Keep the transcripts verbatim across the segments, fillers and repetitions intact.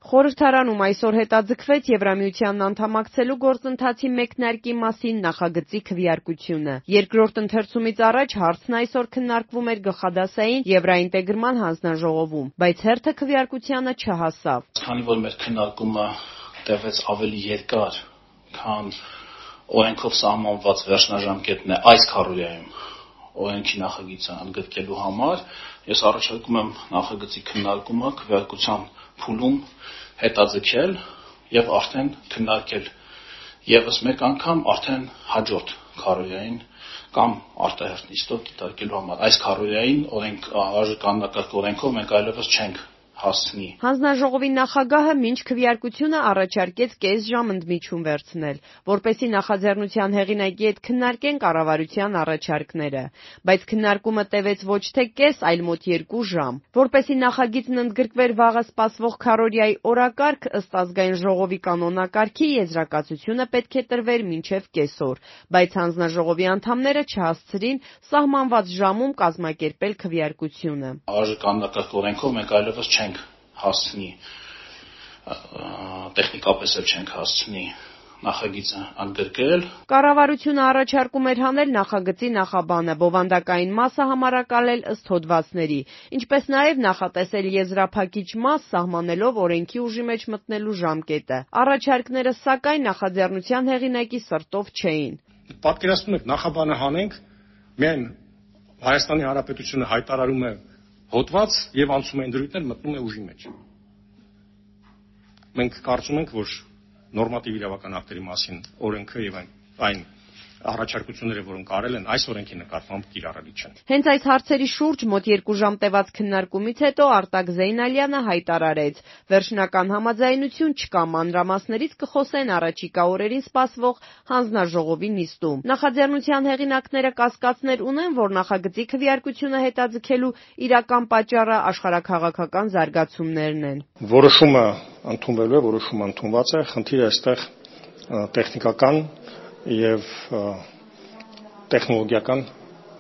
Խորհրդարանում այսօր հետաձգվեց Եվրամիությանն անդամակցելու գործընթացի մեկնարկի մասին նախագծի քվեարկությունը։ Երկրորդ ընթերցումից առաջ հարցն այսօր քննարկվում էր գլխադասային Եվրաինտեգրման հանձնաժողովում, բայց հերթը քվեարկությանը չհասավ։ Քանի որ մեր քննարկումը տևեց ավելի երկար, քան օրենքով սահմանված վերջնաժամկետն է այս քառօրյայում օրենքի նախագիծը ընդգրկելու համար, ես առաջարկում եմ նախագծի քննարկումը քվեարկության փուլում հետաձգել եւ արդեն քննարկել եւս մեկ անգամ արդեն հաջորդ քառօրյային կամ արտահերթ նիստով դիտարկելու համար։ Այս քառօրյային օրենք արժեկաննակարգ օրենքով մենք այլևս չենք հասցնի։ Հանձնաժողովի նախագահը մինչ քվեարկությունը առաջարկեց կես ժամ ընդմիջում վերցնել, որպեսզի նախաձեռնության հեղինակի հետ քննարկեն կառավարության առաջարկները, բայց քննարկումը տևեց ոչ թե կես, այլ մոտ երկու ժամ։ Որպեսզի նախագիծն ընդգրկվեր վաղը սպասվող քառօրյայի օրակարգ, ըստ Ազգային ժողովի կանոնակարգի եզրակացությունը պետք է տրվեր մինչև կեսօր, բայց հանձնաժողովի անդամները չհասցրին սահմանված ժամում կազմակերպել քվեարկությունը։ Արժեկաննակարգ օրենքով մենք այլևս չենք հասցնի, տեխնիկապես էլ չենք հասցնի նախագիծը ընդգրկել։ Կառավարությունը առաջարկում էր հանել նախագծի նախաբանը, բովանդակային մասը համարակալել ըստ հոդվածների, ինչպես նաև նախատեսել եզրափակիչ մաս սահմանելով օրենքի ուժի մեջ մտնելու ժամկետը։ Առաջարկները, սակայն, նախաձեռնության հեղինակի սրտով չէին։ Պատկերացնում եք, նախաբանը հանենք, միայն Հայաստանի Հանրապետությունը հայտարարում է հոդված եւ անցում են դրույթներ, մտնում է ուժի մեջ։ Մենք կարծում ենք, որ նորմատիվ իրավական ակտերի մասին օրենքը եւ այն, այն առաջարկությունները, որոնք արել են, այս օրենքի նկատմամբ կիրառելի չեն։ Հենց այս հարցերի շուրջ մոտ երկու ժամ տևած քննարկումից հետո Արտակ Զեյնալյանը հայտարարեց. վերջնական համաձայնություն չկա, մանրամասներից կխոսեն առաջիկա օրերին սպասվող հանձնաժողովի նիստում։ Նախաձեռնության հեղինակները կասկածներ ունեն, որ նախագծի քվեարկությունը հետաձգելու իրական պատճառը աշխարհաքաղաքական զարգացումներն են։ Որոշումը ընդունվելու է, որոշումը ընդունված է, խնդիրը այստեղ տեխնիկական եւ տեխնոլոգիական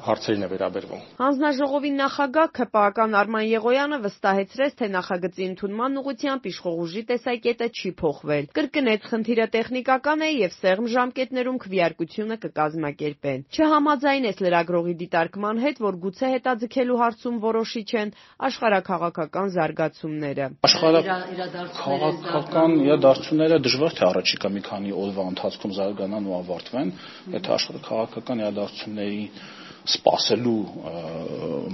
հարցերին է վերաբերվում։ Հանձնաժողովի նախագահ ՔՊԱ-ական Արման Եղոյանը վստահեցրեց, թե նախագծի ընդունման ուղղությամբ իշխող ուժի տեսակետը չի փոխվել։ Կրկնեց, խնդիրը տեխնիկական է եւ սեղմ ժամկետներում քվեարկությունը կկազմակերպեն։ Չհամաձայնեց լրագրողի դիտարկման հետ, որ գուցե հետաձգելու հարցում որոշիչ են աշխարհաքաղաքական զարգացումները։ Աշխարհաքաղաքական իրադարձությունները դժվար թե առաջիկա մի քանի օրվա ընթացքում զարգանան ու ավարտվեն, եթե աշխարհաքաղաքական իրադարձությունների սպասելու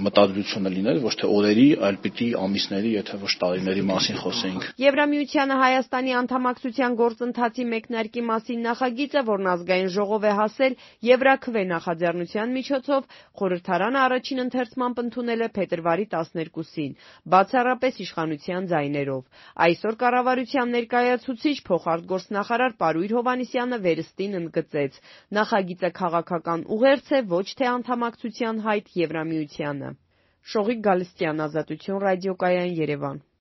մտադրությունը լիներ, ոչ թե օրերի, այլ պիտի ամիսների, եթե ոչ տարիների մասին խոսեինք։ Եվրամիությանը Հայաստանի անդամակցության գործընթացի մեկնարկի մասին նախագիծը, որն Ազգային ժողով է հասել Եվրաքվե նախաձեռնության միջոցով, խորհրդարանը առաջին ընթերցմամբ ընդունել է փետրվարի տասներկուսին, բացառապես իշխանության ձայներով։ Այսօր կառավարության ներկայացուցիչ փոխարտգործնախարար Պարույր Հովհաննիսյանը վերստին ընդգծեց. նախագիծը քաղաքական ուղերձ է, ոչ թե անդամակցության հայտ Եվրամիությանը։ Շողիկ Գալստյան, Ազատություն ռադիոկայան, Երևան։